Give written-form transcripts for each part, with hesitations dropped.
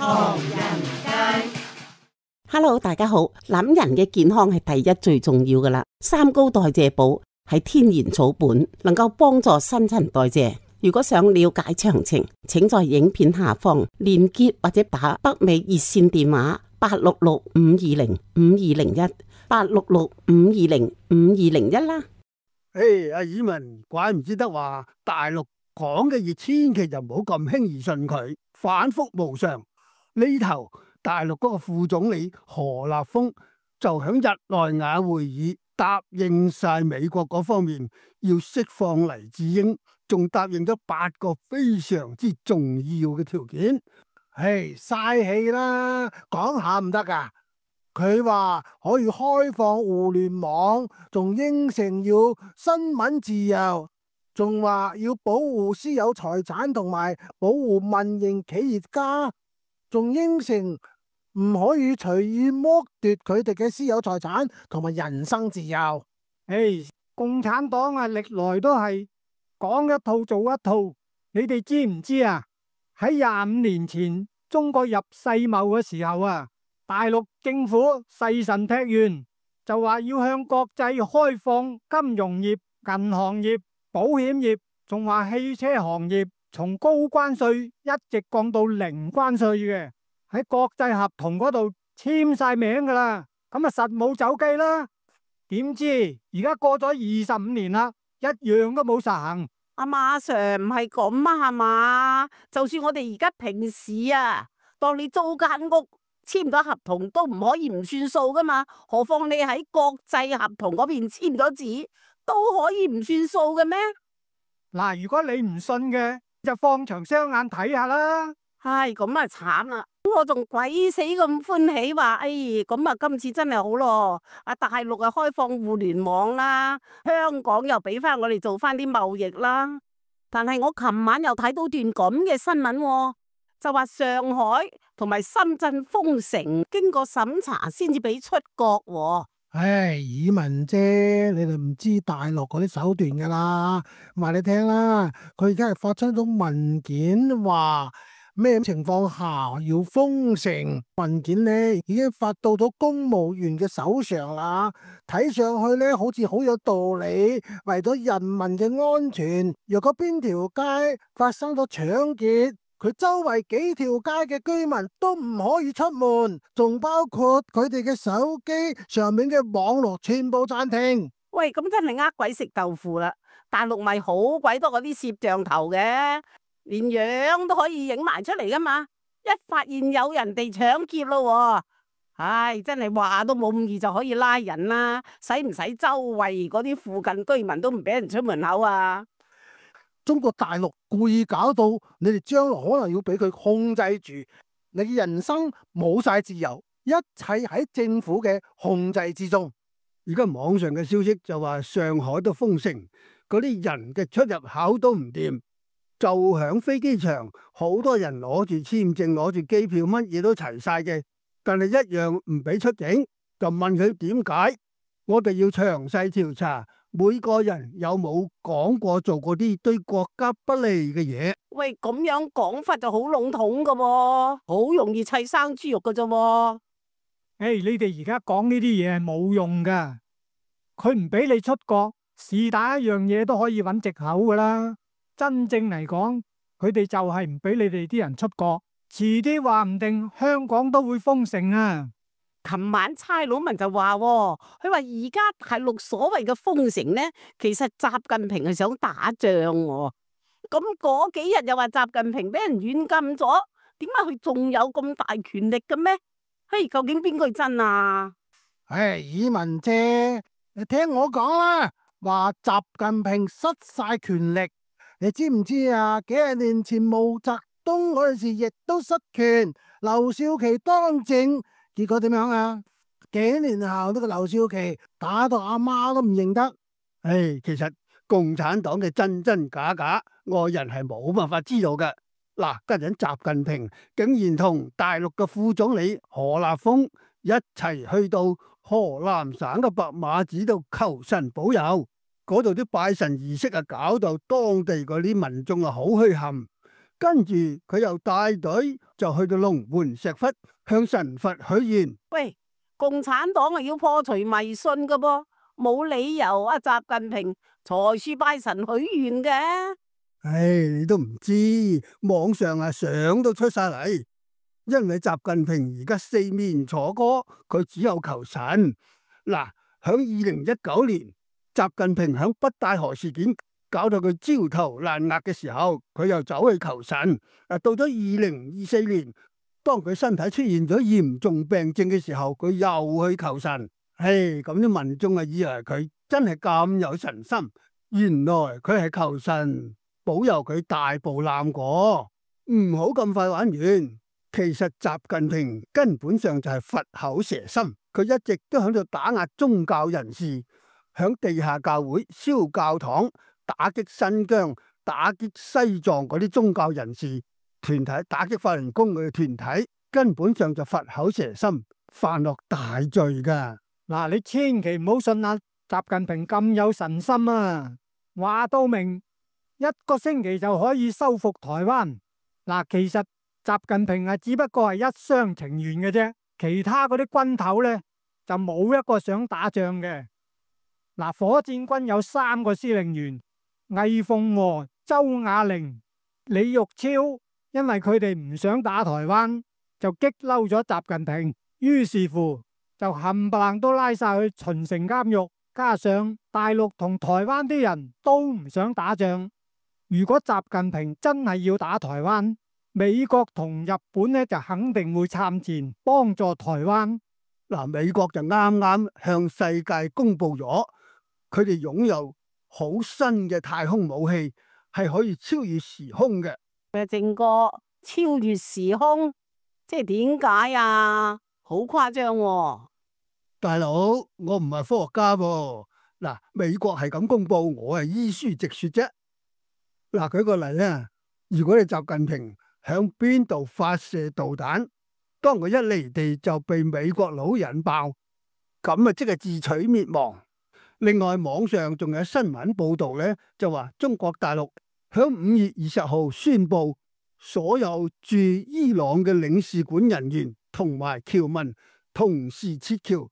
唐人街。Hello， 大家好。諗人嘅健康係第一最重要噶啦。三高代謝寶係天然草本，能夠幫助新陳代謝。如果想了解詳情，請在影片下方連結或者打北美熱線電話866-520-5201，866-520-5201啦。阿爾文，怪唔知得話大陸講嘅嘢，千祈就唔好咁輕易信佢，反覆無常。呢頭大陸嗰個副總理何立峰就響日內瓦會議答應晒美國嗰方面要釋放黎智英，仲答應咗8個非常之重要嘅條件。嘥氣啦，講下唔得噶。佢話可以開放互聯網，仲應承要新聞自由，仲話要保護私有財產同埋保護民營企業家，仲應承唔可以隨意剝奪佢哋嘅私有財產同埋人身自由。共產黨啊，歷來都係講一套做一套。你哋知唔知啊？喺25年前中國入世貿嘅時候啊，大陸政府誓神劈願，就話要向國際開放金融業、銀行業、保險業，仲話汽車行業從高關稅一直降到零關稅嘅，喺國際合同嗰度簽晒名噶啦，咁啊實冇走雞啦。點知而家過咗25年啦，一樣都冇實行。阿馬 Sir 唔係咁啊，係嘛？就算我哋而家平時啊，當你租間屋簽咗合同都唔可以唔算數噶嘛，何況你喺國際合同嗰邊簽咗字都可以唔算數嘅咩？嗱，如果你唔信嘅，就放長雙眼睇下啦。唉，咁啊慘啦！我仲鬼死咁歡喜話，咁啊今次真係好咯！大陸啊開放互聯網啦，香港又俾翻我哋做翻啲貿易啦。但係我琴晚又睇到段咁嘅新聞，就話上海同埋深圳封城，經過審查先至俾出國。爾文姐，你哋唔知大陸嗰啲手段噶啦，話你聽啦，佢而家係發出咗文件話。咩情況下要封城？文件呢已經發到咗公務員嘅手上啦，睇上去呢好似好有道理。為咗人民嘅安全，若果邊條街發生咗搶劫，佢周圍幾條街嘅居民都唔可以出門，仲包括佢哋嘅手機上面嘅網絡全部暫停。喂，咁真係呃鬼食豆腐啦！大陸咪好鬼多嗰啲攝像頭嘅。連樣都可以影埋出嚟噶嘛，一發現有人哋搶劫咯，真係話都冇咁易就可以拉人啦，使唔使周圍嗰啲附近居民都唔俾人出門口啊？中國大陸故意搞到你哋將來可能要俾佢控制住，你嘅人生冇晒自由，一切喺政府嘅控制之中。而家網上嘅消息就話上海都封城，嗰啲人嘅出入口都唔掂。就響飛機場，好多人攞住簽證、攞住機票，乜嘢都齊晒嘅，但係一樣唔俾出境。就問佢點解？我哋要詳細調查每個人有冇講過做過啲對國家不利嘅嘢。喂，咁樣講法就好籠統噶喎，好容易砌生豬肉噶啫。你哋而家講呢啲嘢係冇用噶，佢唔俾你出國，是但一樣嘢都可以揾藉口噶啦。真正嚟講，佢哋就係唔俾你哋啲人出國，遲啲話唔定香港都會封城啊！琴晚差佬文就話，佢話而家大陸所謂嘅封城呢，其實習近平係想打仗。咁嗰幾日又話習近平俾人軟禁咗，點解佢仲有咁大權力嘅咩？究竟邊句真啊？爾文姐，你聽我講啦，話習近平失晒權力。你知唔知啊？幾十年前毛澤東嗰陣時亦都失權，劉少奇當政，結果點樣啊？幾年後呢個劉少奇打到阿媽都唔認得。其實共產黨嘅真真假假，外人係冇辦法知道嘅。嗱，家陣習近平竟然同大陸嘅副總理何立峰一齊去到河南省嘅白馬寺度求神保佑。嗰度啲拜神儀式啊，搞到當地嗰啲民眾啊好墟冚，跟住佢又帶隊就去到龍門石窟向神佛許願。喂，共產黨係要破除迷信噶噃，冇理由啊習近平財樹拜神許願嘅。唉，你都唔知，網上相都出晒嚟。因為習近平而家四面楚歌，佢只有求神。嗱，響2019年，習近平響北戴河事件搞到佢焦頭爛額嘅時候，佢又走去求神。到咗2024年，當佢身體出現咗嚴重病症嘅時候，佢又去求神。唉，咁啲民眾以為佢真係咁有神心，原來佢係求神保佑佢大步攬過，唔好咁快玩完。其實習近平根本上就係佛口蛇心，佢一直都喺度打壓宗教人士，響地下教會燒教堂，打擊新疆、打擊西藏嗰啲宗教人士團體，打擊法輪功嘅團體，根本上就佛口蛇心，犯落大罪噶。嗱，你千祈唔好信啊！習近平咁有神心啊，話到明一個星期就可以收復台灣。嗱，其實習近平只不過係一廂情願嘅啫，其他嗰啲軍頭呢，就冇一個想打仗嘅。嗱，火箭軍有3個司令員，魏鳳和、周亞玲、李玉超，因為佢哋唔想打台灣，就激嬲咗習近平，於是乎就冚唪唥都拉晒去秦城監獄。加上大陸同台灣啲人都唔想打仗，如果習近平真係要打台灣，美國同日本呢就肯定會參戰幫助台灣。嗱，美國就啱啱向世界公布咗，佢哋擁有好新嘅太空武器，係可以超越時空嘅。正哥，超越時空，即係點解啊？好誇張喎！大佬，我唔係科學家噃。嗱，美國係咁公布，我係依書直說啫。嗱，舉個例啊，如果你習近平響邊度發射導彈，當佢一離地就被美國佬引爆，咁啊即係自取滅亡。另外，網上仲有新聞報道呢，就話中國大陸響5月20號宣布，所有駐伊朗嘅領事館人員同埋僑民同時撤僑。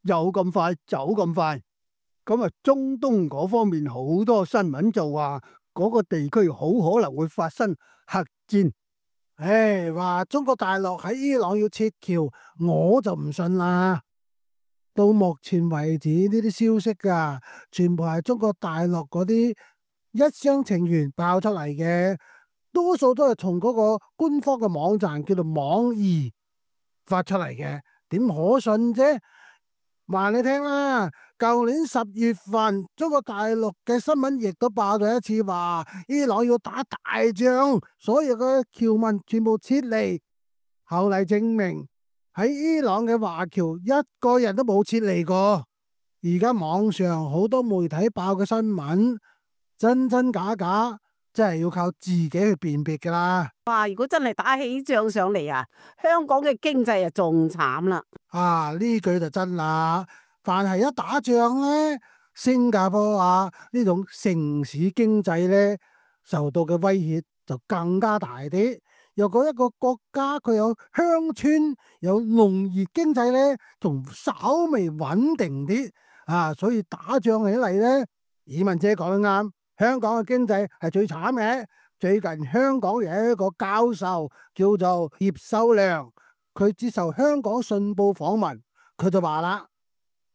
有咁快，走咁快，咁啊中東嗰方面好多新聞就話嗰個地區好可能會發生核戰。唉，話中國大陸喺伊朗要撤僑，我就唔信啦。到目前為止呢啲消息啊，全部係中國大陸嗰啲一廂情願爆出嚟嘅，多數都係從嗰個官方嘅網站叫做網易發出嚟嘅，點可信啫？話你聽啦，舊年10月份，中國大陸嘅新聞亦都爆咗一次，話伊朗要打大仗，所有嘅僑民全部撤離。後嚟證明喺伊朗嘅華僑一個人都冇撤離過。而家網上好多媒體爆嘅新聞，真真假假，真係要靠自己去辨別噶啦。哇！如果真係打起仗上嚟啊，香港嘅經濟啊仲慘啦。啊，呢句就真啦。凡係一打仗呢，新加坡呢種城市經濟呢，受到嘅威脅就更加大啲。如果一個國家佢有鄉村有農業經濟呢，仲稍微穩定啲啊。所以打仗起嚟呢，以文姐講得啱，香港嘅經濟係最慘嘅。最近香港有一個教授叫做葉秀良，佢接受香港信報訪問，佢就話啦，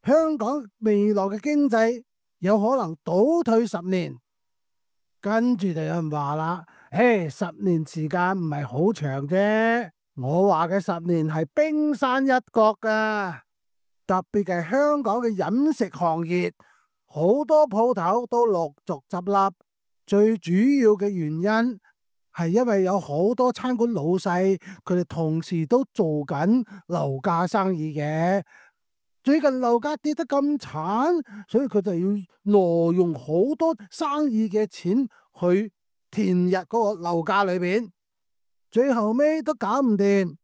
香港未來嘅經濟有可能倒退10年。跟住就有人話啦，10年時間唔係好長啫。我話嘅10年係冰山一角噶。特別係香港嘅飲食行業，好多鋪頭都陸續執笠。最主要嘅原因係因為有好多餐館老細，佢哋同時都做緊樓價生意嘅。最近樓價跌得咁慘，所以佢就要挪用好多生意嘅錢去填入嗰個樓價裏邊，最後尾都搞唔掂，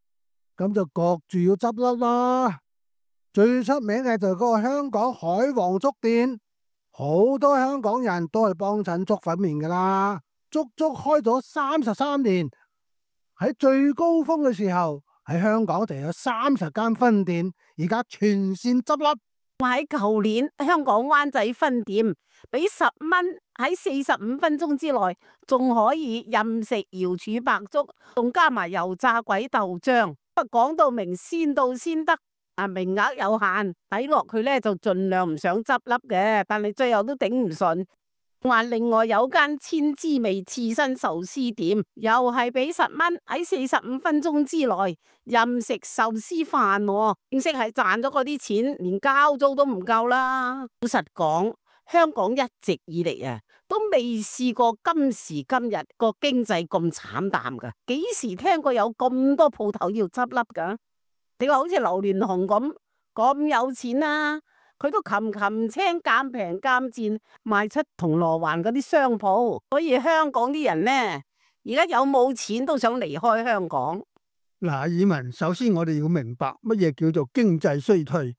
咁就焗住要執笠啦。最出名嘅就係嗰個香港海皇粥店，好多香港人都係幫襯粥粉麵噶啦。足足開咗33年。喺最高峰嘅時候，喺香港就有30間分店，而家全線執笠。喺舊年香港灣仔分店俾10蚊喺45分鐘之內，仲可以任食瑤柱白粥，仲加埋油炸鬼豆漿。講到明先到先得，名額有限，睇落佢咧就盡量唔想執笠嘅，但係最後都頂唔順。話另外有間千滋味刺身壽司店，又係俾10蚊喺45分鐘之內任食壽司飯，正式係賺咗嗰啲錢，連交租都唔夠啦。老實講，香港一直以嚟都未試過今時今日個經濟咁慘淡噶，幾時聽過有咁多鋪頭要執笠噶？你話好似劉鑾雄咁有錢啊，佢都擒青鑑平鑑賤賣出銅鑼灣嗰啲商鋪，所以香港啲人呢，而家有冇錢都想離開香港。嗱，以文，首先我哋要明白乜嘢叫做經濟衰退，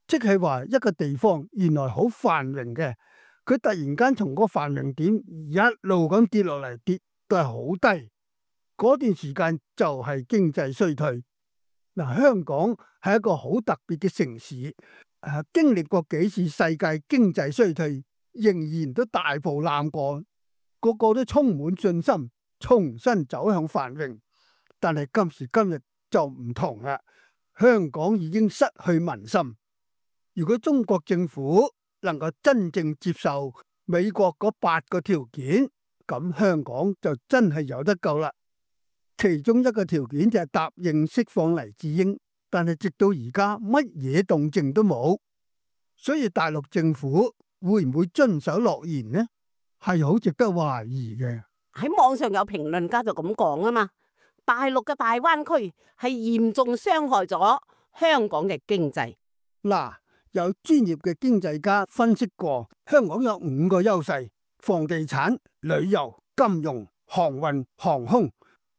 即係話一個地方原來好繁榮嘅，佢突然間從個繁榮點一路咁跌落嚟，跌都係好低，嗰段時間就係經濟衰退。嗱，香港係一個好特別嘅城市，經歷過幾次世界經濟衰退，仍然都大步攬過，個個都充滿信心，重新走向繁榮。但係今時今日就唔同啦，香港已經失去民心。如果中國政府能夠真正接受美國嗰8個條件，咁香港就真係有得救啦。其中一個條件就係答應釋放黎智英，但係直到而家乜嘢動靜都冇，所以大陸政府會唔會遵守諾言呢？係好值得懷疑嘅。喺網上有評論家就咁講啊嘛，大陸嘅大灣區係嚴重傷害咗香港嘅經濟。嗱，有專業嘅經濟家分析過，香港有5個優勢：房地產、旅遊、金融、航運、航空。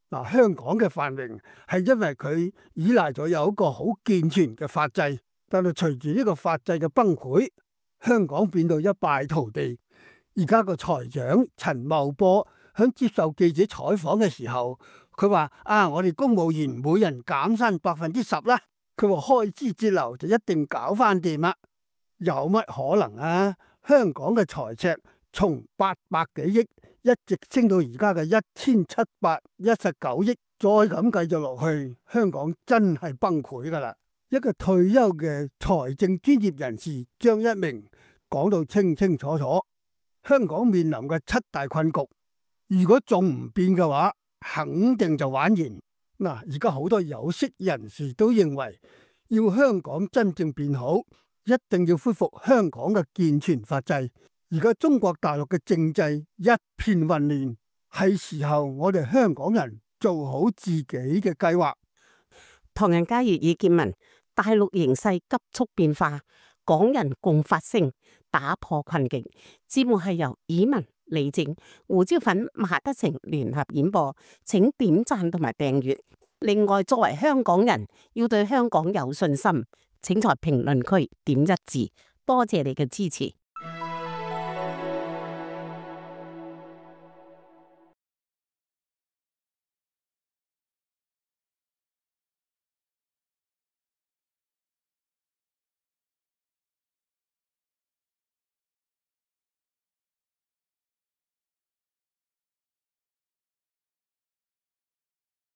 嗱，香港嘅繁榮係因為佢依賴咗有一個好健全嘅法制，但係隨住呢個法制嘅崩潰，香港變到一敗塗地。而家個財長陳茂波響接受記者採訪嘅時候，佢話：我哋公務員每人減薪10%啦。佢話開支節流就一定搞翻掂啦。有乜可能啊？香港嘅財赤從800幾億一直升到而家嘅1719億，再咁繼續落去，香港真係崩潰噶啦！一個退休嘅財政專業人士張一鳴講到清清楚楚，香港面臨嘅7大困局，如果仲唔變嘅話，肯定就玩完。嗱，而家好多有識人士都認為，要香港真正變好，一定要恢復香港嘅健全法制。而家中國大陸嘅政制一片混亂，係時候我哋香港人做好自己嘅計劃。唐人街粵語見聞，大陸形勢急速變化，港人共發聲，打破困境。節目係由以文、李靜、胡椒粉、馬德成聯合演播，請點讚同埋訂閱。另外，作為香港人，要對香港有信心，請在評論區點1字，多謝你嘅支持。